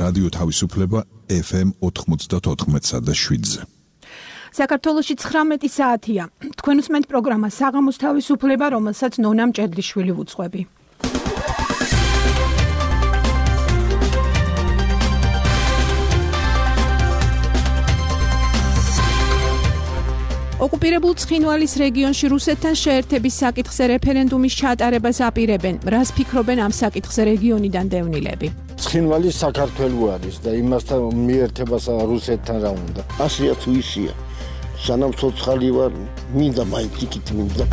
რადიო თავისუფლება FM 94.7-ზე. საქართველოში 19 საათია. თქვენ უსმენთ პროგრამა საღამოს თავისუფლება, რომელსაც ნონა მჭედლიშვილი ვუძღვები. ოკუპირებულ ცხინვალის რეგიონში რუსეთთან შეერთების საკითხზე რეფერენდუმის ჩატარებას აპირებენ. რას ფიქრობენ ამ საკითხზე რეგიონიდან დევნილები? ცხინვალი საქართველო არის და იმასთან მიერთებას რუსეთთან რა უნდა. ასია თუ ისია. სანამ ცოცხალი ვარ, მინდა მაინც იქით მინდა.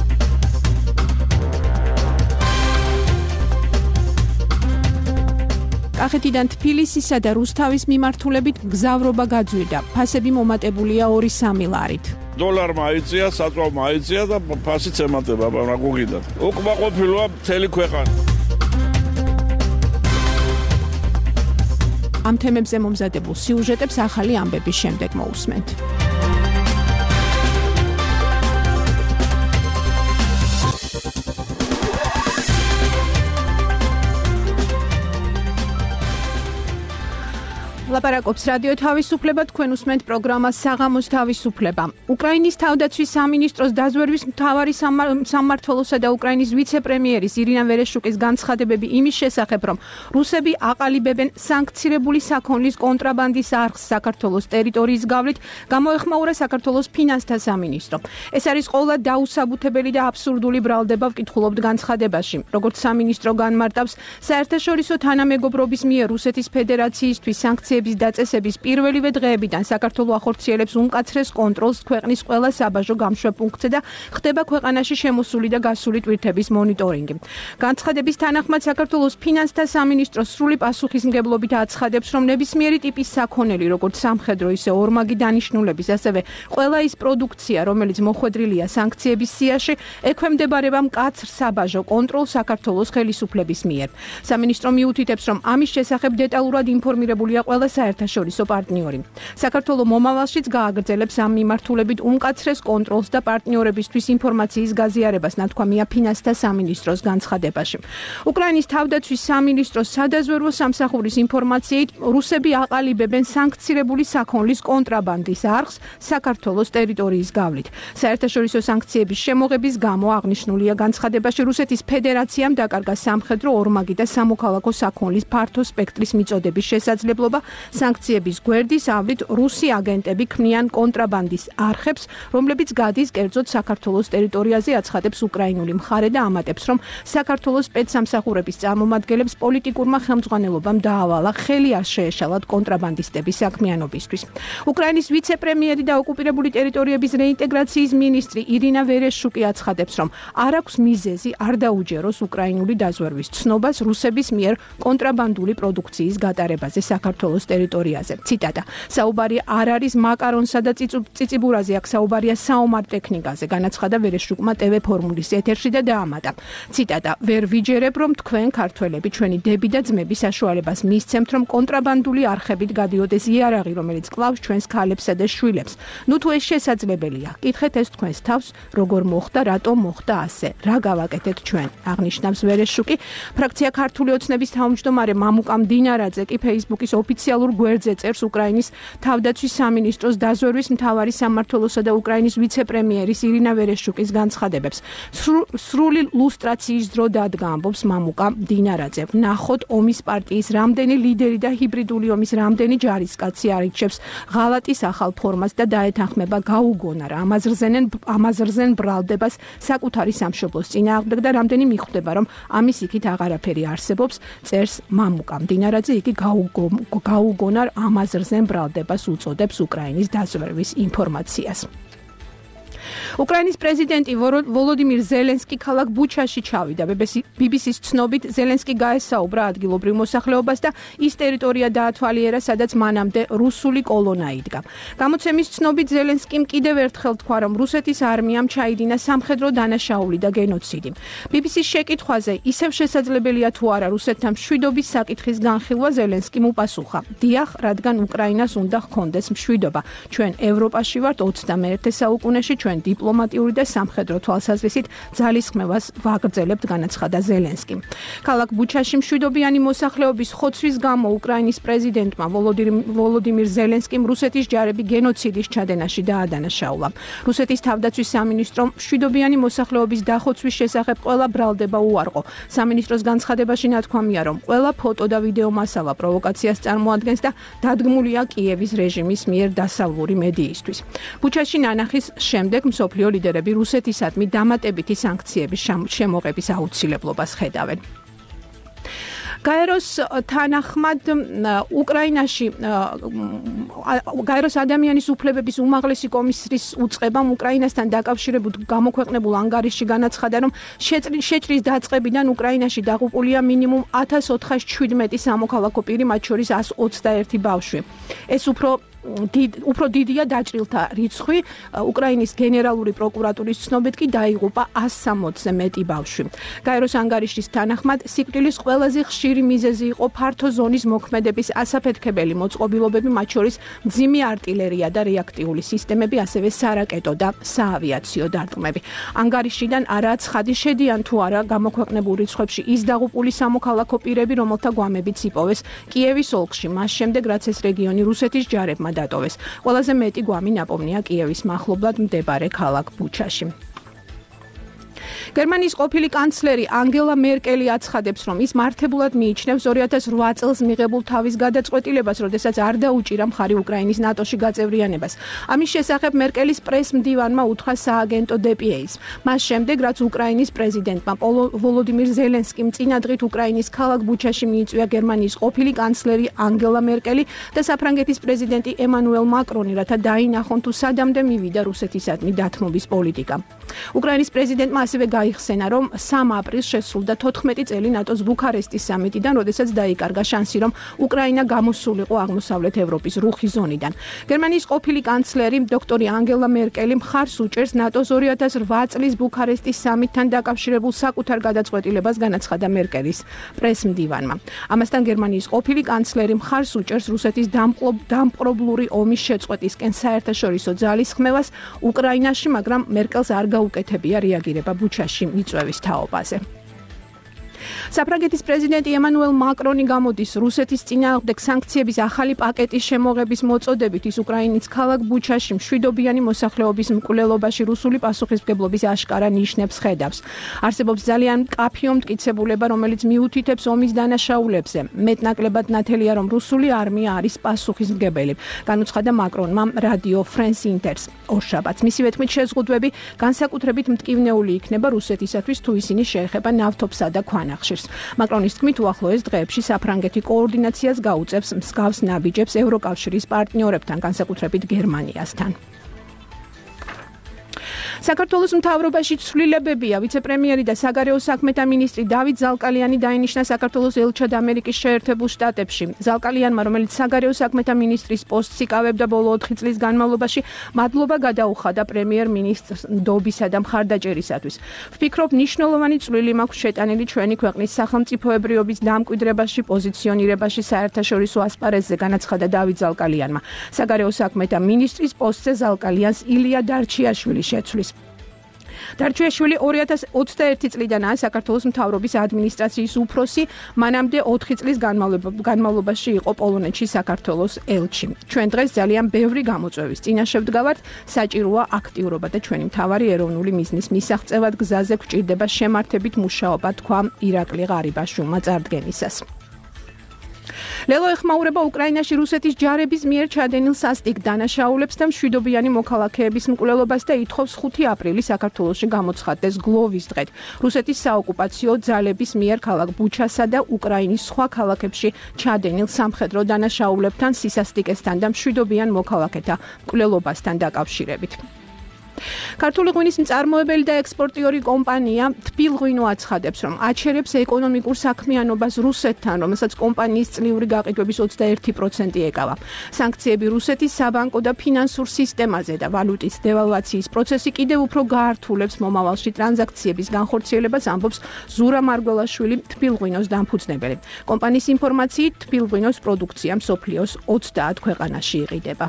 კახეთიდან თბილისისა და რუსთავის მიმართულებით გზავრობა გაძვირდა. ფასები მომატებულია 2-3 ლარით. დოლარმა აიწია, საწვავმა აიწია და ფასიც ემატება რაგუგიდან. უკმაყოფილოა მთელი ქვეყანა. ამ თემებზე მომზადებულ სიუჟეტებს ახალი ამბების შემდეგ მოусმენთ. ლაპარაკობს რადიო თავისუფლება, თქვენ უსმენთ პროგრამას საღამოს თავისუფლება. უკრაინის თავდაცვის სამინისტროს დაზვერვის მთავარი სამმართველოსა და უკრაინის ვიცე-პრემიერის ირინა ვერეშუკის განცხადებები იმის შესახებ, რომ რუსები აყალიბებენ სანქცირებული საქონლის კონტრაბანდის არხს საქართველოს ტერიტორიის გავლით, გამოეხმაურა საქართველოს ფინანსთა სამინისტრო. ეს არის ყოლა დაუსაბუთებელი და აბსურდული ბრალდება, ვკითხულობთ განცხადებაში. როგორც სამინისტრო განმარტავს, საერთაშორისო თანამეგობრობის მიერ რუსეთის ფედერაციისთვის სანქციების დაწესების პირველივე დღეებიდან საქართველო ახორციელებს უმკაცრეს კონტროლს ქვეყნის ყველა საბაჟო გამშვებპუნქტზე და ხდება ქვეყანაში შემოსული და გასული ტვირთების მონიტორინგი. განცხადების თანახმად საქართველოს ფინანსთა სამინისტრო სრული პასუხისმგებლობით აცხადებს, რომ ნებისმიერი ტიპის საქონელი, როგორც სამხედრო, ისე ორმაგი დანიშნულების, ასევე ყველა ის პროდუქცია, რომელიც მოხვედრილია სანქციების სიაში, ექვემდებარება მკაცრ საბაჟო კონტროლს საქართველოს ხელისუფლების მიერ. სამინისტრო მიუთითებს, რომ ამის შესახებ დეტალურად ინფორმირებულია ყველა საერთაშორისო პარტნიორი. საქართველო მომავალშიც გააგრძელებს ამ მიმართულებით უმკაცრეს კონტროლს და პარტნიორებისთვის ინფორმაციის გაზიარებას, ნათქვამია ფინანსთა სამინისტროს განცხადებაში. უკრაინის თავდაცვის სამინისტროს სადაზვერვო სამსახურის ინფორმაციით, რუსები აყალიბებენ სანქცირებული საქონლის კონტრაბანდის არხს საქართველოს ტერიტორიის გავლით. საერთაშორისო სანქციების შემოღების გამო აღნიშნულია განცხადებაში, რუსეთის ფედერაციამ დაკარგა სამხედრო, ორმაგი და სამოქალაქო საქონლის ფართო სპექტრის მიწოდების შესაძლებლობა. სანქციების გვერდის ავლით რუსი აგენტები ქმნიან კონტრაბანდის არხებს, რომლებიც გადის კერძოდ საქართველოს ტერიტორიაზე, აცხადებს უკრაინული მხარე და ამატებს, რომ საქართველოს სპეცსამსახურების წარმომადგენლებს პოლიტიკურმა ხელმძღვანელობამ დაავალა ხელი არ შეეშალათ კონტრაბანდისტების საქმიანობისთვის. უკრაინის ვიცე-პრემიერი და ოკუპირებული ტერიტორიების რეინტეგრაციის მინისტრი ირინა ვერეშუკი აცხადებს, რომ არ აქვს მიზეზი არ დაუჯეროს უკრაინული დაზვერვის ცნობას რუსების მიერ კონტრაბანდული პროდუქციის გატარებაზე საქართველოს ტერიტორიაზე. ციტატა: საუბარი არ არის მაკარონსა და ციციბურაზე, აქ საუბარია საომარ ტექნიკაზე, განაცხადა ვერეშუკმა TV ფორმულის ეთერში და დაამატა. ციტატა: ვერ ვიჯერებ, რომ თქვენ ქართველები ჩვენი დები და ძმები საშუალებას მისცემთ, რომ კონტრაბანდული არხებით გადიოდეს იარაღი, რომელიც კლავს ჩვენს ქალებსა და შვილებს. ნუ თუ ეს შესაძლებელია, კითხეთ ეს თქვენს თავს, როგორ მოხდა, რატომ მოხდა ასე, რა გავაკეთეთ ჩვენ, აღნიშნავს ვერეშუკი. ფრაქცია ქართული ოცნების თავმჯდომარე მამუკა მდინარაძე კი Facebook-ის ოფიციალურ გვერდზე წერს უკრაინის თავდაცვის სამინისტროს დაზვერვის მთავარი სამმართველოსა და უკრაინის ვიცე-პრემიერის ირინა ვერეშუკის განცხადებებს. სრული ლუსტრაციის დრო დადგა, ამბობს მამუკა მდინარაძე. ნახოთ ომის პარტიის რამდენი ლიდერი და ჰიბრიდული ომის რამდენი ჯარისკაცი არიჩევს ღალატის ახალ ფორმას და დაეთანხმება გაუგონარ ამაზრზენ ბრალდებას საკუთარი სამშობლოს წინააღმდეგ და რამდენი მიხვდება, რომ ამის იქით აღარაფერი არსებობს, წერს მამუკა მდინარაძე. იგი გაუგონარ ამაზრზენ ბრალდებას უწოდებს უკრაინის დაზვერვის ინფორმაციას. უკრაინის პრეზიდენტი ვოლოდიმირ ზელენსკი ქალაქ ბუჩაში ჩავიდა. BBC-ს ცნობით, ზელენსკი გაესაუბრა ადგილობრივ მოსახლეობას და ის ტერიტორია დაათვალიერა, სადაც მანამდე რუსული კოლონა იდგა. გამოცემის ცნობით, ზელენსკიმ კიდევ ერთხელ თქვა, რომ რუსეთის არმიამ ჩაიდინა სამხედრო დანაშაული და გენოციდი. BBC-ს შეკითხვაზე, ისევ შესაძლებელია თუ არა რუსეთთან მშვიდობის საკითხის განხილვა, ზელენსკიმ უპასუხა: დიახ, რადგან უკრაინას უნდა ჰქონდეს მშვიდობა. ჩვენ ევროპაში ვართ 21 საუკუნეში, ჩვენ დიპლომატიური და სამხედრო თვალსაზრისით ძალისხმევას ვაგრძელებთ, განაცხადა ზელენსკიმ. ქალაქ ბუჩაში მშვიდობიანი მოსახლეობის ხოცვის გამო უკრაინის პრეზიდენტმა ვოლოდიმირ ზელენსკიმ რუსეთის ჯარები გენოციდის ჩადენაში დაადანაშაულა. რუსეთის თავდაცვის სამინისტრომ მშვიდობიანი მოსახლეობის დახოცვის შესახებ ყველა ბრალდება უარყო. სამინისტროს განცხადებაში ნათქვამია, რომ ყველა ფოტო და ვიდეო მასალა პროვოკაციას წარმოადგენს და დადგმულია კიევის რეჟიმის მიერ დასავლური მედიისთვის. ბუჩაში ნანახის შემდეგ მსოფლიო ლიდერები რუსეთისადმი დამატებითი სანქციების შემოღების აუცილებლობას ხედავენ. გაეროს თანახმად უკრაინაში გაეროს ადამიანის უფლებების უმაღლესი კომისრის უწყებამ უკრაინასთან დაკავშირებულ გამოქვეყნებულ ანგარიშში განაცხადა, რომ შეჭრის დაწყებიდან უკრაინაში დაღუპულია მინიმუმ 1417 სამოქალაქო პირი, მათ შორის 121 ბავშვი. ეს უფრო დიდია დაჭრილთა რიცხვი. უკრაინის გენერალური პროკურატურის ცნობით კი დაიღუპა 160-ზე მეტი ბავშვი. გაეროს ანგარიშის თანახმად სიკვდილის ყველაზე ხშირი მიზეზი იყო ფართო ზონის მოქმედების ასაფეთქებელი მოწყობილობები, მათ შორის მძიმე არტილერია და რეაქტიული სისტემები, ასევე სარაკეტო და საავიაციო დარტყმები. ანგარიშიდან არაა ცხადი, შედიან თუ არა გამოქვეყნებულ რიცხვებში ის დაღუპული სამოქალაქო პირები, რომელთა გვამებიც იპოვეს კიევის ოლქში, მას შემდეგ რაც ეს რეგიონი რუსეთის ჯარებმა დატოვეს. ყველაზე მეტი გვამი ნაპოვნია კიევის მახლობლად მდებარე ქალაქ ბუჩაში. გერმანიის ყოფილი კანცლერი ანგელა მერკელი აცხადებს, რომ ის მართებულად მიიჩნევს 2008 წელს მიღებულ თავის გადაწყვეტილებას, როდესაც არ დაუჭირა მხარი უკრაინის ნატოში გაწევრიანებას. ამის შესახებ მერკელის პრეს-მდივანმა უთხრა სააგენტო DPA-ს. მას შემდეგ, რაც უკრაინის პრეზიდენტმა ვოლოდიმირ ზელენსკიმ წინა დღით უკრაინის ქალაქ ბუჩაში მიიწვია გერმანიის ყოფილი კანცლერი ანგელა მერკელი და საფრანგეთის პრეზიდენტი ემანუელ მაკრონი, რათა დაინახონ თუ სადამდე მივიდა რუსეთისადმი დათმობის პოლიტიკა. უკრაინის პრეზიდენტმა ასევე გაიხსენა, რომ 3 აპრილს შესრულდა 14 წელი ნატოს ბუქარესტის სამიტიდან, როდესაც დაიკარგა შანსი, რომ უკრაინა გამოსულიყო აღმოსავლეთ ევროპის რუხი ზონიდან. გერმანიის ყოფილი კანცლერი დოქტორი ანგელა მერკელი მხარს უჭერს ნატოს 2008 წლის ბუქარესტის სამიტთან დაკავშირებულ საკუთარ გადაწყვეტილებას, განაცხადა მერკელის პრეს-მდივანმა. ამასთან გერმანიის ყოფილი კანცლერი მხარს უჭერს რუსეთის დამპყრობლური ომის შეწყვეტისკენ საერთაშორისო ძალისხმევას უკრაინაში, მაგრამ მერკელს არ გაუკეთებია რეაგირება ბუჩაში მიწვევის თაობაზე. საფრანგეთის პრეზიდენტი ემანუელ მაკრონი გამოდის რუსეთის წინააღმდეგ სანქციების ახალი პაკეტის შემოღების მოწოდებით. ის უკრაინის ქალაქ ბუჩაში მშვიდობიანი მოსახლეობის მკვლელობაში რუსული პასუხისმგებლობის აშკარა ნიშნებს ხედავს. არსებობს ძალიან მკაფიო მტკიცებულება, რომელიც მიუთითებს ომის დანაშაულებზე. მეტნაკლებად ნათელია, რომ რუსული არმია არის პასუხისმგებელი, განუცხადა მაკრონმა რადიო France Inters ორშაბათს. მისივე თქმით, შეზღუდვები განსაკუთრებით მტკივნეული იქნება რუსეთისათვის, თუ ისინი შეეხება ნავთობსა და ქვანახშირს. მაკრონის თქმით, უახლოეს დღეებში საფრანგეთი კოორდინაციას გაუწევს მსგავს ნაბიჯებს ევროკავშირის პარტნიორებთან, განსაკუთრებით გერმანიასთან. საქართველოს მთავრობაში ცვლილებებია. ვიცე-პრემიერი და საგარეო საქმეთა მინისტრი დავით ზალკალიანი დაინიშნა საქართველოს ელჩად ამერიკის შეერთებულ შტატებში. ზალკალიანმა, რომელიც საგარეო საქმეთა მინისტრის პოსტს იკავებდა ბოლო 4 წლის განმავლობაში, მადლობა გადაუხადა პრემიერ-მინისტრს ნდობისა და მხარდაჭერისათვის. ვფიქრობ, მნიშვნელოვანი წვლილი მაქვს შეტანილი ჩვენი ქვეყნის სახელმწიფოებრიობის დამკვიდრებაში, პოზიციონირებაში საერთაშორისო ასპარეზზე, განაცხადა დავით ზალკალიანმა. საგარეო საქმეთა მინისტრის პოსტზე ზალკალიანს ილია დარჩიაშვილი შეცვლის. დარჩიაშვილი 2021 წლიდანაა საქართველოს მთავრობის ადმინისტრაციის უფროსი, მანამდე 4 წლის განმავლობაში იყო პოლონეთში საქართველოს ელჩი. ჩვენ დღეს ძალიან ბევრი გამოწვევის წინაშე ვდგავართ, საჭიროა აქტიურობა და ჩვენი მთავარი ეროვნული მიზნის მისაღწევად გზაზე გვჭირდება შემართებით მუშაობა, თქვა ირაკლი ღარიბაშვილმა წარდგენისას. ლელო ეხმაურება უკრაინაში რუსეთის ჯარების მიერ ჩადენილ სასტიკ დანაშაულებს და მშვიდობიანი მოქალაქეების მკვლელობას და ითხოვს 5 აპრილის საქართველოში გამოცხადდეს გლოვის დღედ. რუსეთის საოკუპაციო ძალების მიერ ქალაქ ბუჩასა და უკრაინის სხვა ქალაქებში ჩადენილ სამხედრო დანაშაულებთან, სისასტიკესთან და მშვიდობიან მოქალაქეთა მკვლელობასთან დაკავშირებით. ქართული ღვინის მწარმოებელი და ექსპორტიორი კომპანია თბილღვინო აცხადებს, რომ აჩერებს ეკონომიკურ საქმიანობას რუსეთთან, რომელსაც კომპანიის წლიური გაყიდვების 21% ეკავა. სანქციები რუსეთის საბანკო და ფინანსურ სისტემაზე და ვალუტის დევალვაციის პროცესი კიდევ უფრო გაართულებს მომავალში ტრანზაქციების განხორციელებას, ამბობს ზურა მარგველაშვილი, თბილღვინოს დამფუძნებელი. კომპანიის ინფორმაციით, თბილღვინოს პროდუქცია მსოფლიოს 30 ქვეყანაში იყიდება.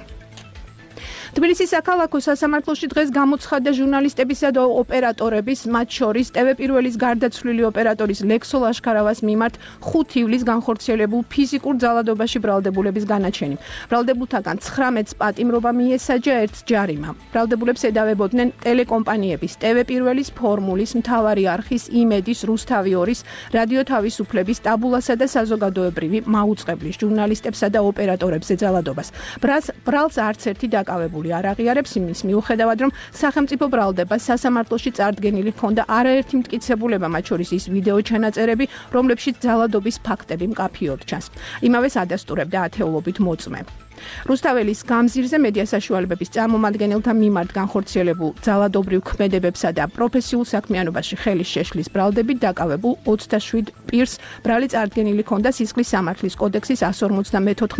თბილისის საქალაქო სასამართლოში დღეს გამოცხადდა ჟურნალისტებისა და ოპერატორების, მათ შორის TV პირველის გარდაცვლილი ოპერატორის ლექსო ლაშქარავას მიმართ 5 ივლისს განხორციელებულ ფიზიკურ ძალადობაში ბრალდებულების განაჩენი. ბრალდებულთაგან 19-ს პატიმრობა მიესაჯა, 1-ს ჯარიმა. ბრალდებულებს ედავებოდნენ ტელეკომპანიების, TV პირველის, ფორმულის, მთავარი არხის, იმედის, რუსთავი 2-ის, რადიო თავისუფლების, ტაბულასა და საზოგადოებრივი მაუწყებლის ჟურნალისტებსა და ოპერატორებზე ძალადობას. ბრალს არც ერთი დაკავებული არ აღიარებს იმის მიუხედავად, რომ სახელმწიფო ბრალდება სასამართლოში წარდგენილი ჰქონდა არაერთი მტკიცებულება, მათ შორის ის ვიდეო ჩანაწერები, რომლებშიც ძალადობის ფაქტები მკაფიოდ ჩანს. იმავეს ადასტურებდა ათეულობით მოწმე. რუსთაველის გამზირზე მედია საშუალებების წარმომადგენელთა მიმართ განხორციელებულ ძალადობრივ ქმედებებსა და პროფესიულ საქმიანობაში ხელის შეშლის ბრალდებით დაკავებულ 27 პირს ბრალი წარდგენილი ჰქონდა სისხლის სამართლის კოდექსის 154,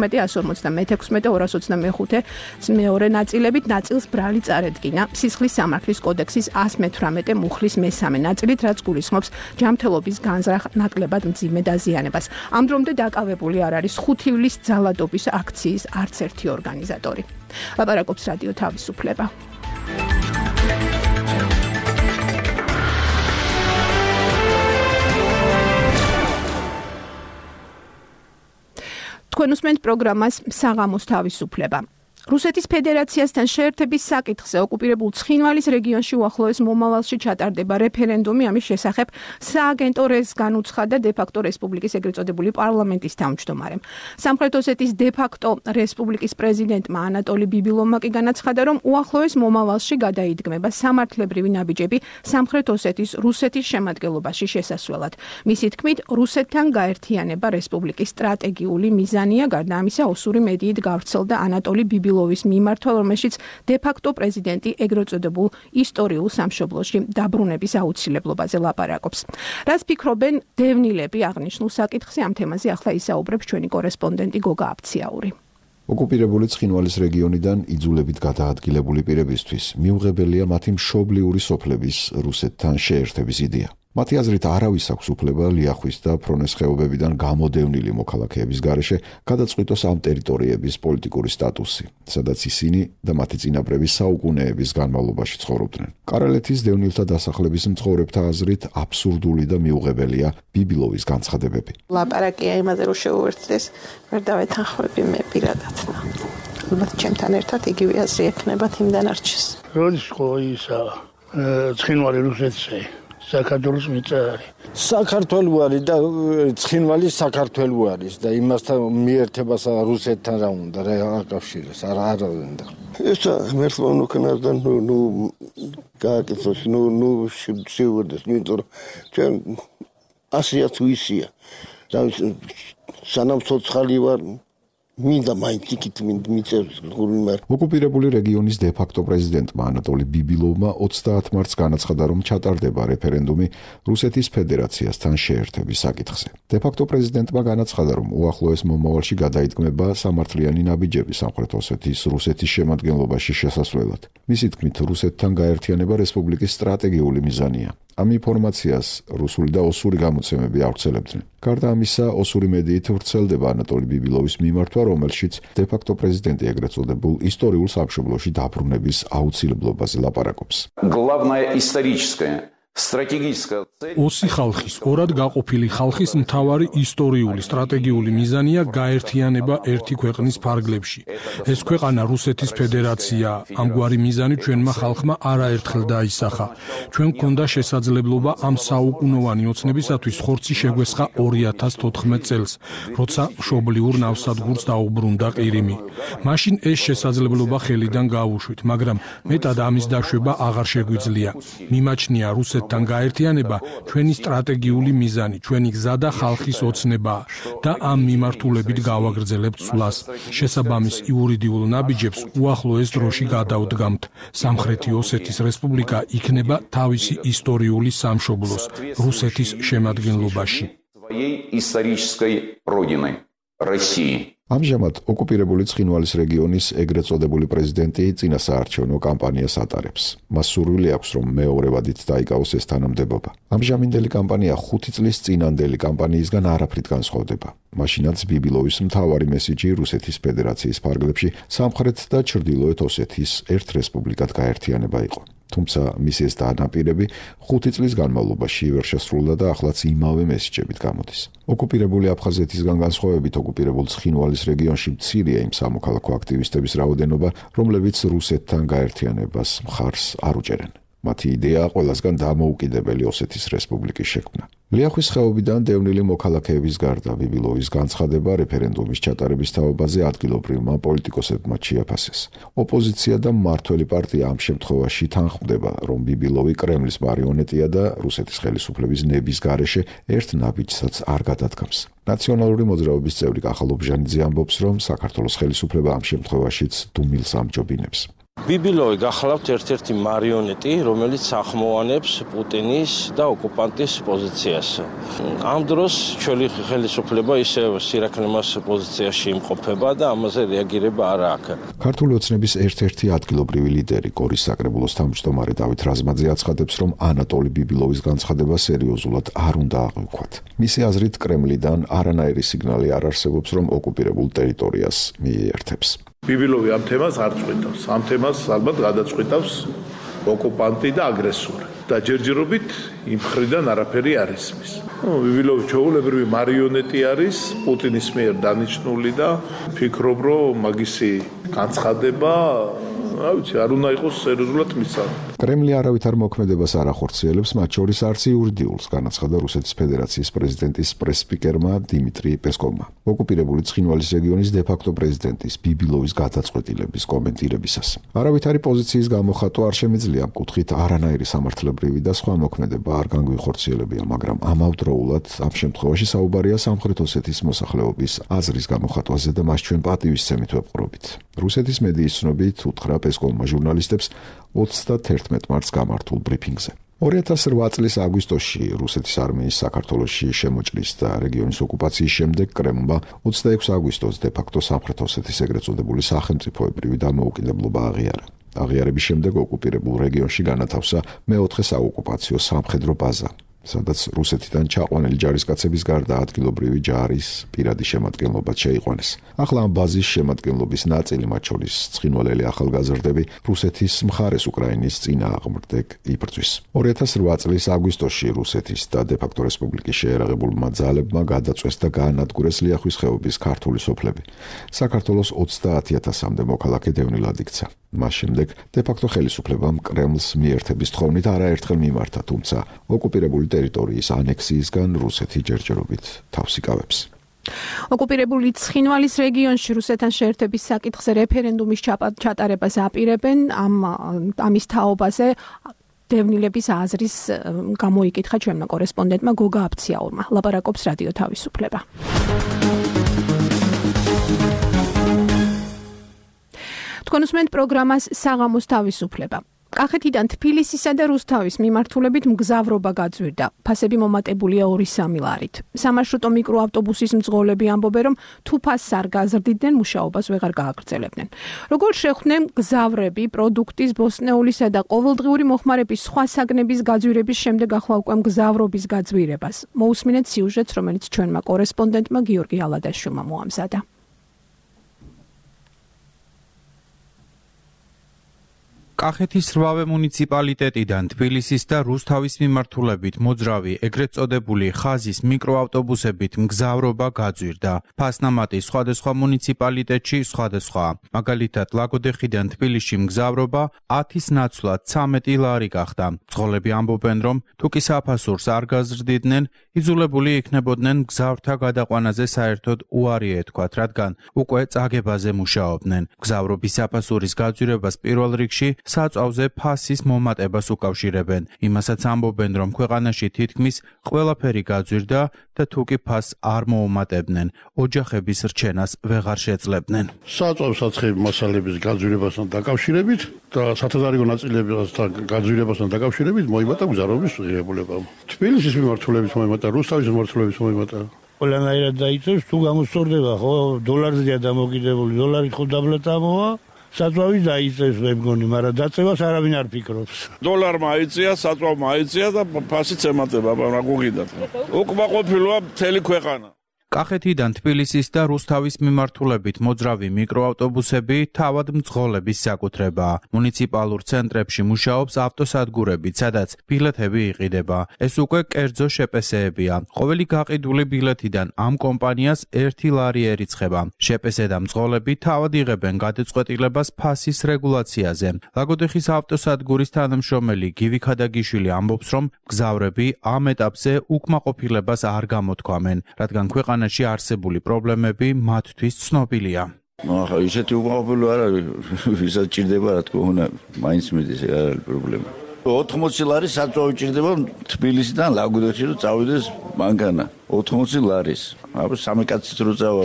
156, 225 მეორე ნაწილებით, ნაწილს ბრალი წარედგინა სისხლის სამართლის კოდექსის 118 მუხლის მესამე ნაწილით, რაც გულისხმობს ჯანმრთელობის განზრახ ნაკლებად მძიმე დაზიანებას. ამ დრომდე დაკავებული არ არის 5 ივლისის ძალადობის აქციის არც ერთი ორგანიზატორი. ლაპარაკობს რადიო თავისუფლება. თქვენ უსმენთ პროგრამას საღამოს თავისუფლება. რუსეთის ფედერაციასთან შეერთების საკითხზე ოკუპირებულ ცხინვალის რეგიონში უახლოეს მომავალში ჩატარდება რეფერენდუმი. ამის შესახებ სააგენტო რეზს განუცხადა დე-ფაქტო რესპუბლიკის ეგრეთ წოდებული პარლამენტის თავმჯდომარემ. სამხრეთ ოსეთის დე-ფაქტო რესპუბლიკის პრეზიდენტმა ანატოლი ბიბილოვმა კი განაცხადა, რომ უახლოეს მომავალში გადაიდგმება სამართლებრივი ნაბიჯები სამხრეთ ოსეთის რუსეთის შემადგენლობაში შესასვლელად. მისი თქმით, რუსეთთან გაერთიანება რესპუბლიკის სტრატეგიული მიზანია. გარდა ამისა, ოსური მედიით გავრცელდა ანატოლი ბიბილოვის მიმართვა, რომელშიც დე-ფაქტო პრეზიდენტი ეგრეთ წოდებულ ისტორიულ სამშობლოში დაბრუნების აუცილებლობაზე ლაპარაკობს. რაც ფიქრობენ დევნილები აღნიშნულ საკითხზე, ამ თემაზე ახლა ისაუბრებს ჩვენი კორესპონდენტი გოგა აფციაური. ოკუპირებული ცხინვალის რეგიონიდან იძულებით გადაადგილებული პირებისთვის მიუღებელია მათი მშობლიური სოფლების რუსეთთან შეერთების იდეა. მათი აზრით არავის აქვს უფლება ლიახვის და ფრონეს ხეობებიდან გამოდევნილი მოქალაქეების გარეშე გადაწყვიტოს ამ ტერიტორიების პოლიტიკური სტატუსი, სადაც ისინი და მათი წინაპრები საუკუნეების განმავლობაში ცხოვრობდნენ. კარელეთის დევნილთა დასახლების მცხოვრებთა აზრით აბსურდული და მიუღებელია ბიბილოვის განცხადებები. ლაპარაკია იმაზე, რომ შეუერთდეს, ვერ დავეთანხმები მე პირადად. ალბათ ჩემთან ერთად იგივე აზრი ექნება იმ დანარჩენს. როდის ხო ისა ცხინვალი რუსეთში საქართველოს მიწა არის. საქართველო არის და ცხინვალი საქართველო არის და იმასთან მიერთებას რუსეთთან რა უნდა რა აკავშირებს არა უნდა. ეს მერტლონ უკნარდან ნუ გააკეთოს ნუ შევდეს იმიტომ რომ ჩვენ ასია თუ ისია და სანამ ცოცხალი ვარ მინდა მაინც იქით მიწევს გულმარ. ოკუპირებული რეგიონის დე-ფაქტო პრეზიდენტმა ანატოლი ბიბილოვმა 30 მარტს განაცხადა, რომ ჩატარდება რეფერენდუმი რუსეთის ფედერაციასთან შეერთების საკითხზე. დე-ფაქტო პრეზიდენტმა განაცხადა, რომ უახლოეს მომავალში გადაიდგმება სამართლიანი ნაბიჯები სამხრეთ ოსეთის რუსეთის შემადგენლობაში შესასვლელად. მისი თქმით, რუსეთთან გაერთიანება რესპუბლიკის სტრატეგიული მიზანია. ამ ინფორმაციას რუსული და ოსური გამოცემები ავრცელებდნენ. გარდა ამისა, ოსური მედიით ვრცელდება ანატოლი ბიბილოვის მიმართვა, რომელშიც დე-ფაქტო პრეზიდენტი ეგრეთ წოდებულ ისტორიულ სამშობლოში დაბრუნების აუცილებლობაზე ლაპარაკობს. ოსი ხალხის, ორად გაყოფილი ხალხის მთავარი ისტორიული სტრატეგიული მიზანია გაერთიანება ერთი ქვეყნის ფარგლებში. ეს ქვეყანა რუსეთის ფედერაცია. ამგვარი მიზანი ჩვენმა ხალხმა არაერთხელ დაისახა. ჩვენ გქონდა შესაძლებლობა ამ საუკუნოვანი ოცნებისათვის ხორცი შეგვესხა 2014 წელს, როცა მშობლიურ ნავსადგურს დაუბრუნდა ყირიმი. მაშინ ეს შესაძლებლობა ხელიდან გაუშვით, მაგრამ მეტად ამის დაშვება აღარ შეგვიძლია. მიმაჩნია რუსეთ თან გაერთიანება ჩვენი სტრატეგიული მიზანი, ჩვენი გზა და ხალხის ოცნება და ამ მიმართულებით გავაგრძელებთ სვლას. შესაბამის იურიდიულ ნაბიჯებს უახლოეს დროში გადავდგამთ. სამხრეთი ოსეთის რესპუბლიკა იქნება თავისი ისტორიული სამშობლოს, რუსეთის შემადგენლობაში. исторической родины России. ამჟამად ოკუპირებული ცხინვალის რეგიონის ეგრეთ წოდებული პრეზიდენტი წინასაარჩევნო კამპანიას ატარებს. მას სურვილი აქვს, რომ მეორე ვადით დაიკავოს ეს თანამდებობა. ამჟამინდელი კამპანია 5 წლის წინანდელი კამპანიისგან არაფრით განსხვავდება. მაშინაც ბიბილოვის მთავარი მესიჯი რუსეთის ფედერაციის ფარგლებში სამხრეთ და ჩრდილოეთ ოსეთის ერთ რესპუბლიკად გაერთიანება იყო. თუმცა მისი ეს დანაპირები 5 წლის განმავლობაში ვერ შესრულდა და ახლაც იმავე მესიჯებით გამოდის. ოკუპირებული აფხაზეთისგან განსხვავებით ოკუპირებულ ცხინვალის რეგიონში მცირეა იმ სამოქალაქო აქტივისტების რაოდენობა, რომლებიც რუსეთთან გაერთიანებას მხარს არ უჭერენ. მათი იდეაა ყველასგან დამოუკიდებელი ოსეთის რესპუბლიკის შექმნა. ლიახვის ხეობიდან დევნილი მოქალაქეების გარდა ბიბილოვის განცხადება რეფერენდუმის ჩატარების თაობაზე ადგილობრივმა პოლიტიკოსებმა შეაფასეს. ოპოზიცია და მმართველი პარტია ამ შემთხვევაში თანხმდება, რომ ბიბილოვი კრემლის მარიონეტია და რუსეთის ხელისუფლების ნების გარეშე ერთ ნაბიჯსაც არ გადადგამს. ნაციონალური მოძრაობის წევრი კახალ ობჟანიძე ამბობს, რომ საქართველოს ხელისუფლება ამ შემთხვევაშიც დუმილს ამჯობინებს. ბიბილოვი გახლავთ ერთ-ერთი მარიონეტი, რომელიც ახმოვანებს პუტინის და ოკუპანტის პოზიციას. ამ დროს ჩვენი ხელისუფლება ისევ სირაქლემას პოზიციაში იმყოფება და ამაზე რეაგირება არ აქვს. ქართული ოცნების ერთ-ერთი ადგილობრივი ლიდერი, კორის საკრებულოს თავმჯდომარე დავით რაზმაძე აცხადებს, რომ ანატოლი ბიბილოვის განცხადება სერიოზულად არ უნდა აღვიქვათ. მისი აზრით, კრემლიდან არანაირი სიგნალი არ არსებობს, რომ ოკუპირებულ ტერიტორიას მიიერთებს. ბიბილოვი ამ თემას არ წყვიტავს. ამ თემას ალბათ გადაწყვიტავს ოკუპანტი და აგრესორი. და ჯერჯერობით იმ მხრიდან არაფერი არ ისმის. ბიბილოვი ჩვეულებრივი მარიონეტი არის პუტინის მიერ დანიშნული და ფიქრობ, რომ მაგისი განცხადება არ უნდა იყოს სერიოზულად მისწავლე. კრემლი არავითარ მოქმედებას არ ახორციელებს, მათ შორის არც იურიდიულს, განაცხადა რუსეთის ფედერაციის პრეზიდენტის პრეს-სპიკერმა დიმიტრი პესკოვმა. ოკუპირებული ცხინვალის რეგიონის დე-ფაქტო პრეზიდენტის ბიბილოვის გადაწყვეტილების კომენტირებისას. არავითარი პოზიციის გამოხატვა არ შემიძლია, მკუთხით არანაირი სამართლებრივი და სხვა მოქმედება არ განგვიხორციელებია, მაგრამ ამავდროულად ამ შემთხვევაში საუბარია სამხრეთ ოსეთის მოსახლეობის აზრის გამოხატვაზე და მას ჩვენ პატივისცემით ვეპყრობით. რუსეთის მედიის ცნობით უთხრა პესკოვმა ჟურნალისტებს 31 მარტს გამართულ ბრიფინგზე. 2008 წლის აგვისტოში რუსეთის არმიის საქართველოში შემოჭრის და რეგიონის ოკუპაციის შემდეგ კრემლმა 26 აგვისტოს დე-ფაქტო სამხრეთ ოსეთის ეგრეთ წოდებული სახელმწიფოებრივი დამოუკიდებლობა აღიარა. აღიარების შემდეგ ოკუპირებულ რეგიონში განათავსა მეოთხე საოკუპაციო სამხედრო ბაზა, სადაც რუსეთიდან ჩაყვანილი ჯარისკაცების გარდა ადგილობრივი ჯარის პირადი შემადგენლობაც შეიყვანეს. ახლა ამ ბაზის შემადგენლობის ნაწილი, მათ შორის ცხინვალელი ახალგაზრდები, რუსეთის მხარეს უკრაინის წინააღმდეგ იბრძვის. 2008 წლის აგვისტოში რუსეთის და დე-ფაქტო რესპუბლიკის შეერაღებულმა ძალებმა გადაწვეს და გაანადგურეს ლიახვის ხეობის ქართული სოფლები. საქართველოს 30,000-მდე მოქალაქე დევნილად იქცა. მას შემდეგ დე-ფაქტო ხელისუფლებამ კრემლს მიერთების თხოვნით არაერთხელ მიმართა, თუმცა ოკუპირებული ტერიტორიის ანექსიისგან რუსეთი ჯერჯერობით თავს იკავებს. ოკუპირებული ცხინვალის რეგიონში რუსეთთან შეერთების საკითხზე რეფერენდუმის ჩატარებას აპირებენ. ამის თაობაზე დევნილების აზრის გამოიკითხა ჩვენმა კორესპონდენტმა გოგა აფციაურმა. ლაპარაკობს რადიო თავისუფლება. თქვენ უსმენთ პროგრამას საღამოს თავისუფლება. კახეთიდან თბილისისა და რუსთავის მიმართულებით მგზავრობა გაძვირდა. ფასები მომატებულია 2-3 ლარით. სამარშრუტო მიკროავტობუსის მძღოლები ამბობენ, რომ თუ ფასს არ გაზრდიდნენ, მუშაობას ვეღარ გააგრძელებდნენ. როგორ შეხვდნენ მგზავრები პროდუქტის, ბოსტნეულისა და ყოველდღიური მოხმარების სხვა საგნების გაძვირების შემდეგ ახლა უკვე მგზავრობის გაძვირებას. მოусმინეთ სიუჟეტს, რომელიც ჩვენმა კორესპონდენტმა გიორგი ალადაშვილმა მოამზადა. კახეთის რვავე მუნიციპალიტეტიდან თბილისის და რუსთავის მიმართულებით მოძრავი ეგრეთ წოდებული ხაზის მიკროავტობუსებით მგზავრობა გაძვირდა. ფასნამატი სხვადასხვა მუნიციპალიტეტში სხვადასხვა. მაგალითად, ლაგოდეხიდან თბილისში მგზავრობა 10-ის ნაცვლად 13 ლარი გახდა. მძღოლები ამბობენ, რომ თუ კი საფასურს არ გაზრდიდნენ, იძულებული იქნებოდნენ მგზავრთა გადაყვანაზე საერთოდ უარი ეთქვათ, რადგან უკვე წაგებაზე მუშაობდნენ. მგზავრობის საფასურის გაძვირებას პირველ რიგში საწვავზე ფასის მომატებას უკავშირებენ. იმასაც ამბობენ, რომ ქვეყანაში თითქმის ყველაფერი გაძვირდა და თუ კი ფასს არ მოუმატებდნენ, ოჯახების რჩენას ვეღარ შეძლებდნენ. საწვავ საცხები მასალების გაძვირებასთან დაკავშირებით და სათადარიგო ნაწილებთან გაძვირებასთან დაკავშირებით მოიმატა მგზავრობის ღირებულება. თბილისის მიმართულებით მოიმატა, რუსთავის მიმართულებით მოიმატა. ყველანაირად დაიწევს, თუ გამოსწორდება, ხო, დოლარზეა დამოკიდებული, დოლარი ხო დაბლატამოა, საწვავის დაიწევს მე მგონი, მაგრამ დაწევას არავინ არ ფიქრობს. დოლარმა აიწია, საწვავმა აიწია და ფასიც ემატება, რა გუგიდათ. უკმაყოფილოა მთელი ქვეყანა. კახეთიდან თბილისის და რუსთავის მიმართულებით მოძრავი მიკროავტობუსები თავად მძღოლების საკუთრებაა. მუნიციპალურ ცენტრებში მუშაობს ავტოსადგურები, სადაც ბილეთები იყიდება. ეს უკვე კერძო შეპესეებია. ყოველი გაყიდული ბილეთიდან ამ კომპანიას 1 ლარი ერიცხება. შეპესე და მძღოლები თავად იღებენ გადაწყვეტილებას ფასის რეგულაციაზე. ლაგოდეხის ავტოსადგურის თანამშრომელი გივი ქადაგიშვილი ამბობს, რომ მგზავრები ამ ეტაპზე უკმაყოფილებას არ გამოთქვამენ, რადგან ქვეყანაში არსებული პრობლემები მათთვის ცნობილია. ახლა ისეთი უკმაყოფილო არ არის, ვისაც ჭირდება, რა თქმა უნდა, მაინც მიდის, ეგ არ არის პრობლემა. 80 ლარი საწვავი ჭირდება თბილისიდან ლაგოდეხში რომ წავიდეს მანქანა. 80 ლარის. აბა სამი კაცით რო წავა,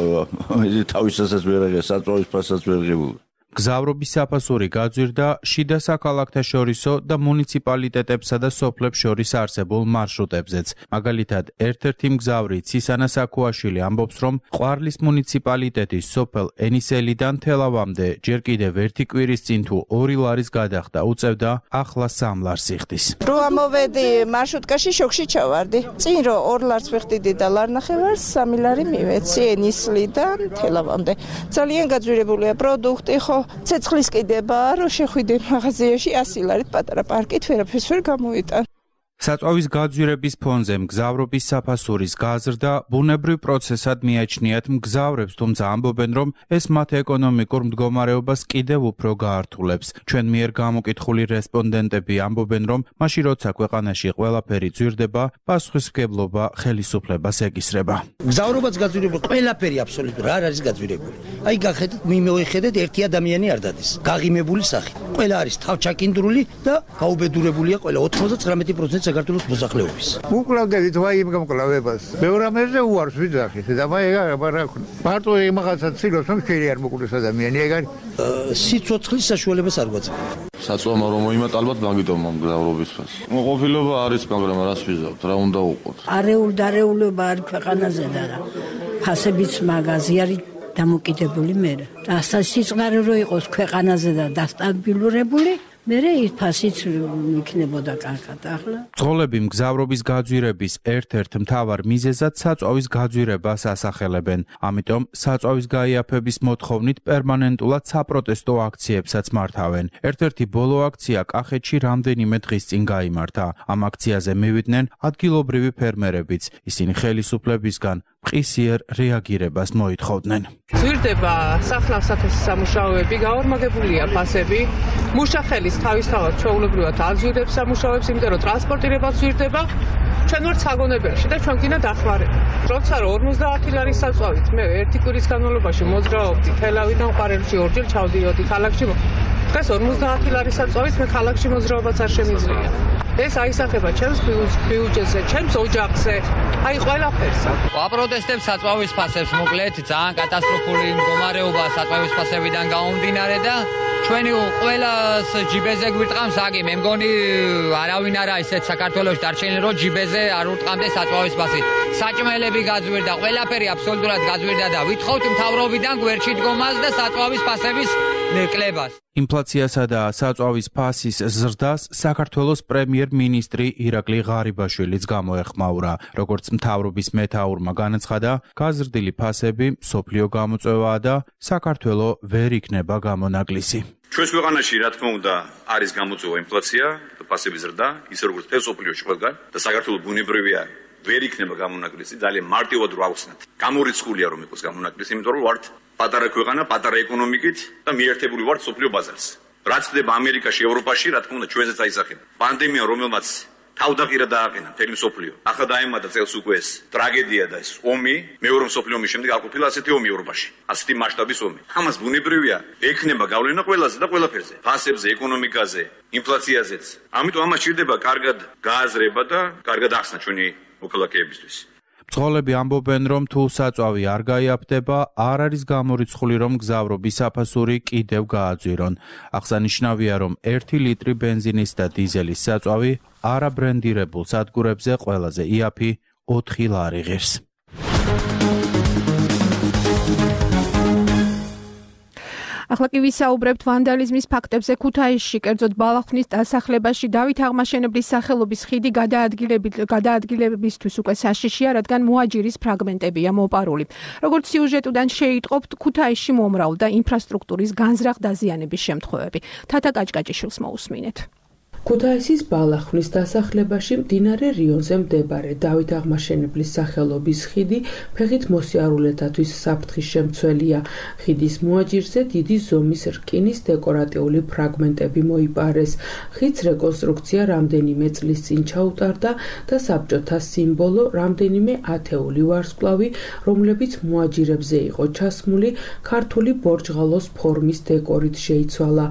თავისასაც ვერ აღია, საწვავის ფასაც ვერ ღებულ. გზავრობის საფასური გაძვირდა შიდა საქალაქთა შორისო და მუნიციპალიტეტებსა და სოფლებს შორის არსებულ მარშრუტებზეც. მაგალითად, ერთ-ერთი მგზავრი ცისანა საქუაშვილი ამბობს, რომ ყვარლის მუნიციპალიტეტის სოფელ ენისელიდან თელავამდე ჯერ კიდევ ერთი კვირის წინ თუ 2 ლარის გადახდა უწევდა, ახლა 3 ლარს იხდის. რო ამოვედი მარშრუტკაში შოქში ჩავარდი. წინ რო 2 ლარს ვიხდიდი და ლარნახევარს 3 ლარი მივეცი ენისლიდან თელავამდე. ძალიან გაძვირებულია პროდუქტი, ხო ცეცხლის კიდებაა, რომ შეხვიდე მაღაზიაში 100 ლარით პატარა პარკით ვერაფერს ვერ გამოვიტან. საწვავის გაძვირების ფონზე მგზავრობის საფასურის გაზრდა ბუნებრივ პროცესად მიაჩნიათ მგზავრებს, თუმცა ამბობენ, რომ ეს მათ ეკონომიკურ მდგომარეობას კიდევ უფრო გაართულებს. ჩვენ მიერ გამოკითხული რესპონდენტები ამბობენ, რომ მაშინ როცა ქვეყანაში ყველაფერი ძვირდება, პასუხისმგებლობა ხელისუფლებას ეკისრება. მგზავრობაც გაძვირებული, ყველაფერი აბსოლუტურად არ არის გაძვირებული. აი გახეთით, მიმოიხედეთ, ერთი ადამიანი არ დადის. გაღიმებული სახით. ყველა არის თავჩაკინდრული და გაუბედურებულია ყველა 99% საქართველოს მოსახლეობის. უკლავდებით ვაი იმ გამკლავებას. მეორე ამაზე უარს ვიძახით და მარტო იმაღასაც ცილოს რომ შეიძლება არ მოკლეს ადამიანი ეგ არის. სიცოცხლის საშუალებას არ გვაძლევს. საწვავმა რომ მოიმატ ალბათ მაგიტომ მგზავრობის ფასი. ყოფილობა არის, მაგრამ რას ვიზავთ, რა უნდა უყოთ. არეულობა არის ქვეყანაზე და ფასებიც მაგაზი არის დამოკიდებული მე. ასე სიწყნარე რო იყოს ქვეყანაზე და დასტაბილურებული მერე ის ფასიც იქნებოდა კარგად ახლა. მძღოლები მგზავრობის გაძვირების ერთ-ერთ მთავარ მიზეზად საწვავის გაძვირებას ასახელებენ. ამიტომ საწვავის გაიაფების მოთხოვნით პერმანენტულად საპროტესტო აქციებსაც მართავენ. ერთ-ერთი ბოლო აქცია კახეთში რამდენიმე დღის წინ გაიმართა. ამ აქციაზე მივიდნენ ადგილობრივი ფერმერებიც. ისინი ხელისუფლებისგან მყისიერ რეაგირებას მოითხოვდნენ. ძვირდება სახნავ-საქმის სამუშაოები, გაორმაგებულია ფასები. მუშახელის თავისთავად ჩვეულებრივად აძვირებს სამუშაოებს, იმიტომ რომ ტრანსპორტირება ძვირდება. ჩვენ ვართ საგონებელში და ჩვენ გინდა დახმარება. როცა 50 ლარის საწვავით მე ერთი კვირის განმავლობაში მოძრაობდი თელავიდან ყვარელში ორჯერ ჩავდიოდი ქალაქში. დღეს 50 ლარის საწვავით მე ქალაქში მოძრაობაც არ შემიძლია. ეს აისახება ჩემს ბიუჯეტზე, ჩემს ოჯახზე, აი ყველაფერს. ვაპროტესტებ საწვავის ფასებს, მოკლედ ძალიან კატასტროფული მდგომარეობა საწვავის ფასებიდან გამომდინარე და ჩვენი ყველას ჯიბეზე გვირტყამს აგი, მე მგონი არავინ არა ისეთ საქართველოში დარჩენილი რომ ჯიბეზე არ ურტყამდეს საწვავის ფასი. საჭმელები გაძვირდა, ყველაფერი აბსოლუტურად გაძვირდა და ვითხოვთ მთავრობიდან გვერდში დგომას და საწვავის ფასების კლებას. ინფლაციასა და საწვავის ფასის ზრდას საქართველოს პრემიერ-მინისტრი ირაკლი ღარიბაშვილიც გამოეხმაურა. როგორც მთავრობის მეთაურმა განაცხადა, გაზრდილი ფასები მსოფლიო გამოწვევაა და საქართველო ვერ იქნება გამონაკლისი. ჩვენს ქვეყანაში, რა თქმა უნდა, არის გამოწვევა ინფლაცია და ფასების ზრდა, ისე როგორც მთელ მსოფლიოში ყველგან და საქართველო ბუნებრივია ვერ იქნება გამონაკლისი, ძალიან მარტივად რო ავხსნათ. გამორიცხულია რომ იყოს გამონაკლისი, იმიტომ რომ ვართ პატარა ქვეყანა, პატარა ეკონომიკით და მიერთებული ვართ სოფლიო ბაზარს. რაც ხდება ამერიკაში, ევროპაში, რა თქმა უნდა, ჩვენზეც აისახება. პანდემია, რომელმაც თავდაყირა დააყენა მთელი მსოფლიო. ახლა დაემატა წელს უკვე ეს ტრაგედია და ეს ომი, მეორე მსოფლიო ომის შემდეგ არ ყოფილა ასეთი ომი ევროპაში. ასეთი მასშტაბის ომი. ამას ბუნებრივია, ექნება გავლენა ყველაზე და ყველაფერზე. ფასებზე, ეკონომიკაზე, ინფლაციაზეც. ამიტომ ამას ჭირდება კარგად გააზრება და კარგად ახსნა ჩვენი მოქალაქეებისთვის. მძღოლები ამბობენ, რომ თუ საწვავი არ გაიაფდება, არ არის გამორიცხული, რომ მგზავრობის საფასური კიდევ გააძვირონ. აღსანიშნავია, რომ 1 ლიტრი ბენზინის და დიზელის საწვავი არაბრენდირებულ სადგურებზე ყველაზე იაფი 4 ლარი ღირს. ახლა კი ვისაუბრებთ ვანდალიზმის ფაქტებზე ქუთაისში, კერძოდ ბალახვნის დასახლებაში დავით აღმაშენებლის სახელობის ხიდი გადაადგილებისთვის უკვე საშიშია, რადგან მოაჯირის ფრაგმენტებია მოპარული. როგორც სიუჟეტიდან შეიტყობთ, ქუთაისში მომრავლდა ინფრასტრუქტურის განზრახ დაზიანების შემთხვევები. თათა კაჭკაჭიშვილს მოусმინეთ. ქუთაისის ბალახვნის დასახლებაში მდინარე რიონზე მდებარე დავით აღმაშენებლის სახელობის ხიდი ფეხით მოსიარულეთათვის საფრთხის შემცველია. ხიდის მოაჯირზე დიდი ზომის რკინის დეკორატიული ფრაგმენტები მოიპარეს. ხიდს რეკონსტრუქცია რამდენიმე წლის წინ ჩაუტარდა და საბჭოთა სიმბოლო რამდენიმე ათეული ვარსკვლავი, რომლებიც მოაჯირებზე იყო ჩასმული, ქართული ბორჯღალოს ფორმის დეკორით შეიცვალა.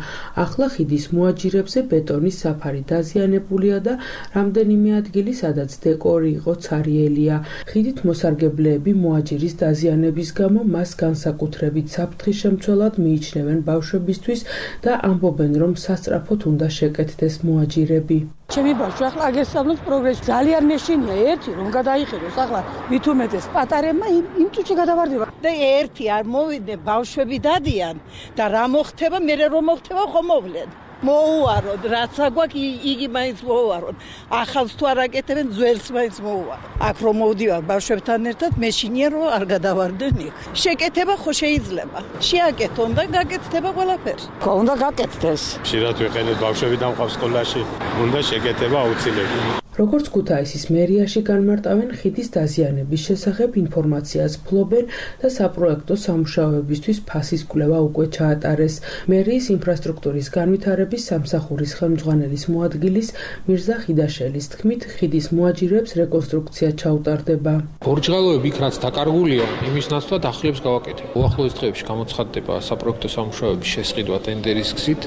ახლა ხიდის მოაჯირებზე ბეტონის საფარი დაზიანებულია და რამდენიმე ადგილი, სადაც დეკორი იყო ცარიელია. ხიდით მოსარგებლეები მოაჯირის დაზიანების გამო მას განსაკუთრებით საფრთხის შემცველად მიიჩნევენ ბავშვებისთვის და ამბობენ, რომ სასწრაფოდ უნდა შეკეთდეს მოაჯირები. ჩემი ბავშვი ახლა აგესწავლოს პროგრესში. ძალიან მეშინია ერთი რომ გადაიხადოს ახლა მით უმეტეს პატარებმა იმ წუთში გადავარდება. და ერთი არ მოვიდე ბავშვები დადიან და რა მოხდება, მე რომ მოხდება ხომ მოვლენ. მოუვაროთ, რაც აგვაქვს იგი მაინც მოუვაროთ. ახალს თუ არ აკეთებენ, ძველს მაინც მოუვაროთ. აქ რომ მოვდივარ ბავშვებთან ერთად, მეშინია რომ არ გადავარდნენ იქ. შეკეთება ხო შეიძლება. შეაკეთონ და გაკეთდება ყველაფერი. ხო, უნდა გაკეთდეს. ხშირად ვიყენებთ ბავშვები დამყავს სკოლაში, უნდა შეკეთება აუცილებლად. როგორც ქუთაისის მერიაში განმარტავენ, ხიდის დაზიანების შესახებ ინფორმაციას ფლობენ და საპროექტო სამუშაოებისთვის ფასის კვლევა უკვე ჩაატარეს. მერიის ინფრასტრუქტურის განვითარების სამსახურის ხელმძღვანელის მოადგილის მირზა ხიდაშელის თქმით, ხიდის მოაჯირებს რეკონსტრუქცია ჩაუტარდება. ბორჯღალოები იქ რაც დაკარგულია, იმის ნაცვლად ახლებს გავაკეთებ. უახლოეს დღეებში გამოცხადდება საპროექტო სამუშაოების შესყიდვა ტენდერის გზით.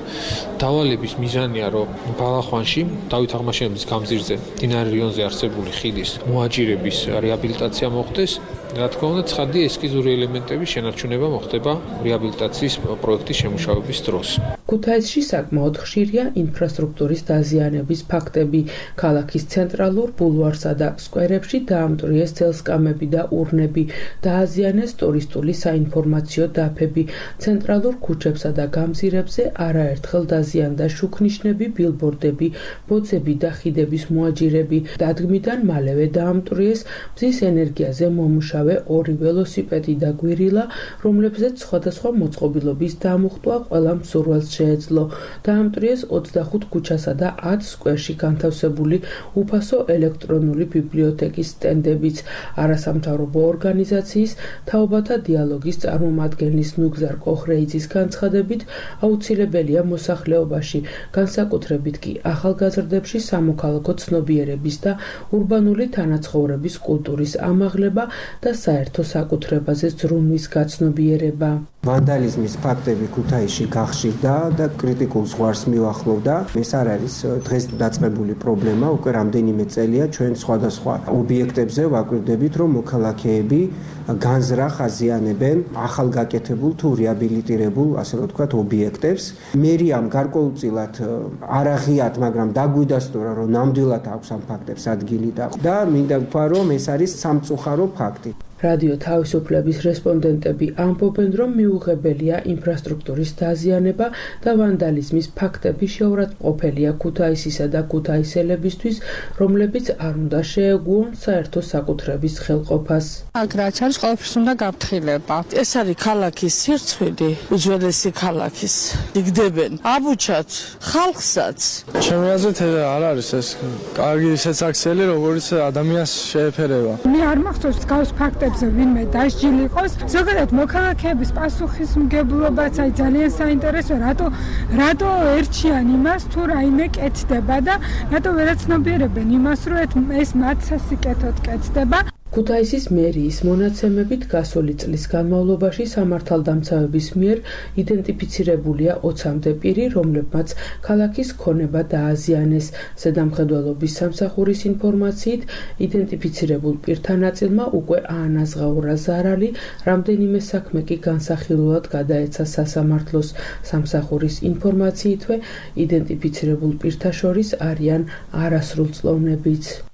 დავალების მიზანია, რომ ბალახვანში დავით აღმაშენებლის გამზირზე მდინარე რიონზე არსებული ხიდის მოაჯირების რეაბილიტაცია მოხდეს. რა თქმა უნდა, ცხადია ესკიზური ელემენტების შენარჩუნება მოხდება რეაბილიტაციის პროექტის შემუშავების დროს. ქუთაისში საკმაოდ ხშირია ინფრასტრუქტურის დაზიანების ფაქტები. ქალაქის ცენტრალურ ბულვარსა და სკვერებში დაამტვრიეს ძელსკამები და ურნები, დააზიანეს ტურისტული საინფორმაციო დაფები. ცენტრალურ ქუჩებსა და გამზირებზე არაერთხელ დაზიანდა შუქნიშნები, ბილბორდები, ბოძები და ხიდების მოაჯირები. დადგმიდან მალევე დაამტვრიეს მზის ენერგიაზე მომუშავე ორი ველოსიპედი და გვირილა, რომლებზეც სხვადასხვა მოწყობილობის დამუხტვა ყველა მსურველს შეეძლო. დაამტვრიეს 25 ქუჩასა და 10 სკვერში განთავსებული უფასო ელექტრონული ბიბლიოთეკის სტენდებიც. არასამთავრობო ორგანიზაციის თაობათა დიალოგის წარმომადგენლის ნუგზარ კოხრეიძის განცხადებით, აუცილებელია მოსახლეობაში, განსაკუთრებით კი ახალგაზრდებში სამოქალაქო ცნობიერების და ურბანული თანაცხოვრების კულტურის ამაღლება და საერთო საკუთრებაზე ზრუნვის გაცნობიერება. ვანდალიზმის ფაქტები ქუთაისში გახშირდა და კრიტიკულ ზღვარს მიუახლოვდა. ეს არ არის დღეს დაწყებული პრობლემა, უკვე რამდენიმე წელია ჩვენ სხვადასხვა ობიექტებზე ვაკვირდებით, რომ მოქალაქეები განზრახ აზიანებენ ახალგაკეთებულ თუ რეაბილიტირებულ, ასე რომ ვთქვათ, ობიექტებს. მერიამ გარკვეულწილად არ აღიათ, მაგრამ დაგვიდასტურა, რომ ნამდვილად აქვს ამ ფაქტებს ადგილი და მინდა ვთქვა, რომ ეს არის სამწუხარო ფაქტი. რადიო თავისუფლების რესპონდენტები ამბობენ, რომ მიუღებელია ინფრასტრუქტურის დაზიანება და ვანდალიზმის ფაქტები შეურაცხმყოფელია ქუთაისისა და ქუთაისელებისთვის, რომლებიც არ უნდა შეეგუონ საერთო საკუთრების ხელყოფას. აქ რაც არის, ყველაფერს უნდა გაფრთხილება. ეს არის ქალაქის სირცხვილი, უძველესი ქალაქის. იგდებენ აბუჩაც, ხალხსაც. ჩემი აზრით არ არის ეს კარგი სეცაქსელი, როგორც ადამიანს შეეფერება. მე არ მახსოვს გავს ფაქტები ვინმე დასჯილი იყოს. ზოგადად მოქალაქეების პასუხისმგებლობაც აი ძალიან საინტერესოა, რატო ერჩიან იმას თუ რაიმე კეთდება და რატო ვერაცნობიერებენ იმას, რომ ეს მათ სასიკეთოდ კეთდება. ქუთაისის მერიის მონაცემებით გასული წლის განმავლობაში სამართალდამცავების მიერ იდენტიფიცირებულია 20-მდე პირი, რომლებმაც ქალაქის ქონება დააზიანეს. ზედამხედველობის სამსახურის ინფორმაციით, იდენტიფიცირებულ პირთა ნაწილმა უკვე აანაზღაურა ზარალი, რამდენიმე საქმე კი განსახილულად გადაეცა სასამართლოს. სამსახურის ინფორმაციითვე იდენტიფიცირებულ პირთა შორის არიან არასრულწლოვნებიც.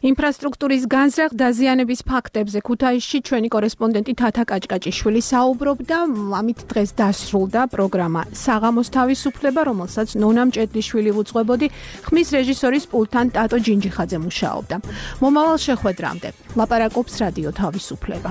ინფრასტრუქტურის განზრახ დაზიანების ფაქტებზე ქუთაისში ჩვენი კორესპონდენტი თათა კაჭკაჭიშვილი საუბრობდა. ამით დღეს დასრულდა პროგრამა საღამოს თავისუფლება, რომელსაც ნონა მჭედლიშვილი უძღვებოდი, ხმის რეჟისორის პულტთან ტატო ჯინჯიხაძე მუშაობდა. მომავალ შეხვედრამდე ლაპარაკობს რადიო თავისუფლება.